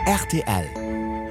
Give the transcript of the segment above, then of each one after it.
Rtl,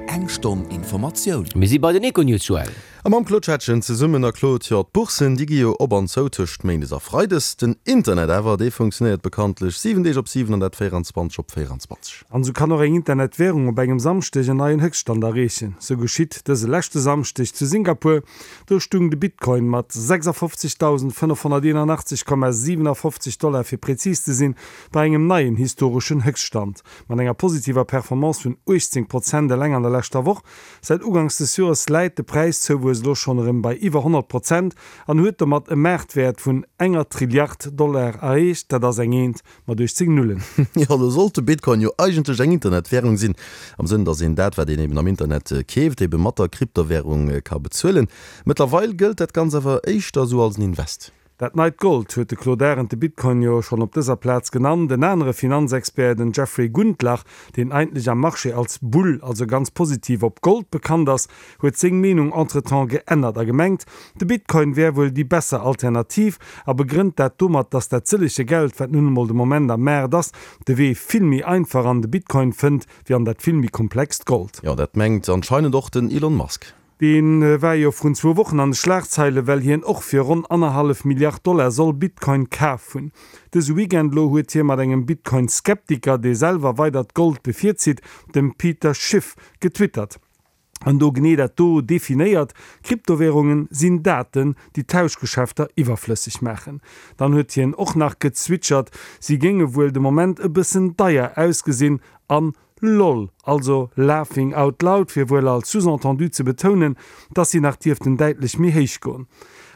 Eng Stonn Informatioun. Mir si bei den Econews, Joël. A mam Claude Schettgen zesummen. A Claude, jo, d'Boursen, déi gi jo op an zou tëscht méindes a freides. Den Internet awer, dee funktionéiert bekanntlech 7 Deeg op 7 an dat 24 op 24. An esou kann och eng Internetwärung op engem Samschdeg en neien Höchststand erreechen. Sou geschitt dëse leschte Samschdeg zu Singapur. Do stung de Bitcoin mat 56.581,57 Dollar fir prezis ze sinn, bei engem neien historeschen Höchststand. Mat enger positiver Performance vun 18 Prozent eleng an der leschter Woch. Säit Uganks des Joers läit de Präiszouwuess elo schonn erëm bei iwwer 100 Prozent an huet domat e Maartwäert vun enger Trilliard Dollar erreecht. Dat ass eng Eent mat 18 Nullen. Jo, lo sollt de Bitcoin jo eigentlech eng Internetwärung sinn, am Sënn, datt een dat, wat een eben am Internet keeft, ebe mat der Kryptowärung ka bezuelen. Mëttlerweil gëllt dat Ganz awer éischter esou als en Invest. Dat neit Gold huet de Claude Arend de Bitcoin jo schonn op dëser Plaz genannt. En anere Finanzexpert, den Jeffrey Gundlach, deen eigentlech am Marché als Bull, also ganz positiv op Gold bekannt ass, huet seng Meenung entretemps geännert a gemengt, de Bitcoin wär wuel déi besser Alternativ a begrënnt dat domat, dass dat sëllege Geld, wat nun emol de Moment am Maart ass, de Wee vill méi einfach an de Bitcoin fënnt, wéi an dat vill méi komplext Gold. Jo, dat mengt anscheinend och den Elon Musk. Dee war jo vrun zwou Wochen an de Schlagzeile well hien och fir ronn annerhallef Milliard Dollar soll Bitcoin kaf hunn. Dëse Weekend elo huet hie mat engem Bitcoin-Skeptiker, dee selwer weider d'Gold bevirzitt, dem Peter Schiff, getwittert an do genee dat do definéiert, Kryptowärungen sinn Daten, déi Tauschgeschäfter iwwerflësseg maachen. Dann huet hien och nach gezwitschert, si géinge wuel de Moment e bëssen deier ausgesinn an Lol, also laughing out loud, fir wuel als Sous-entendu ze betounen, dass si nach dierften däitlech méi héich goen.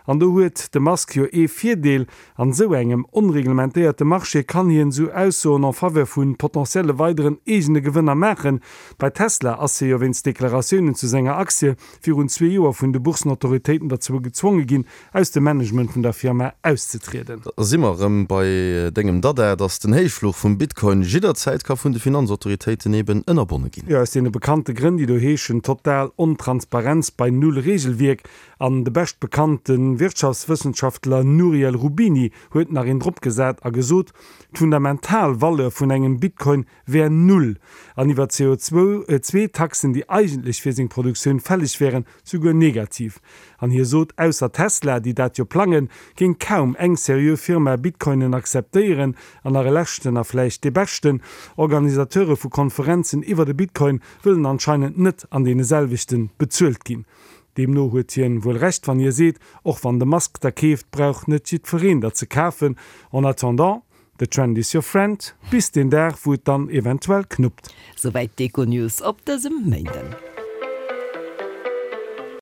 An do huet de Musk jo ee Virdeel, An esou engem onreglementéierte Marché kann hien esou Aussoen en faveur vu potentielle weideren eegene Gewënner maachen. Bei Tesla ass hie jo wéinst Deklaratiounen zu senger Aktie virun zwee Joer vun de Boursenautoritéiten derzou gezwonge ginn, aus dem Management vun der Firma auszetrieden. Da si mer erëm bei dengem Dada, dass den Héichfluch vum Bitcoin jidderzäit ka vun de Finanzautoritéiten eben ënnerbonne ginn. Jo, aus deene bekannte Grënn, déi do heeschen, total Ontransparenz bei null Regelwierk. An de beschtbekannte Wirtschaftswëssenschaftler Nouriel Roubini huet nach een dropgesat a gesot, d'fundamental Valeur vun engem Bitcoin wär null an iwwer d'CO2-Taxen, déi eigentlech fir seng Produktioun fälleg wären, souguer negativ. An hie sot, ausser Tesla, déi dat jo plangen, géing kaum eng seriö Firma Bitcoinen akzeptéieren. An nach e leschten, a vläicht dee beschten, Organisateure vu Konferenzen iwwer de Bitcoin wëllen anscheinend net an deene selwechten bezuelt ginn. Deemno huet hien wuel Recht wann hie seet, och wann de Musk der keeft, brauch net jiddfereen der ze kafen. En attendant, the trend is your friend, bis deen Dag wou et dann eventuell knuppt. Souwäit d'Econews op dësem Méinden.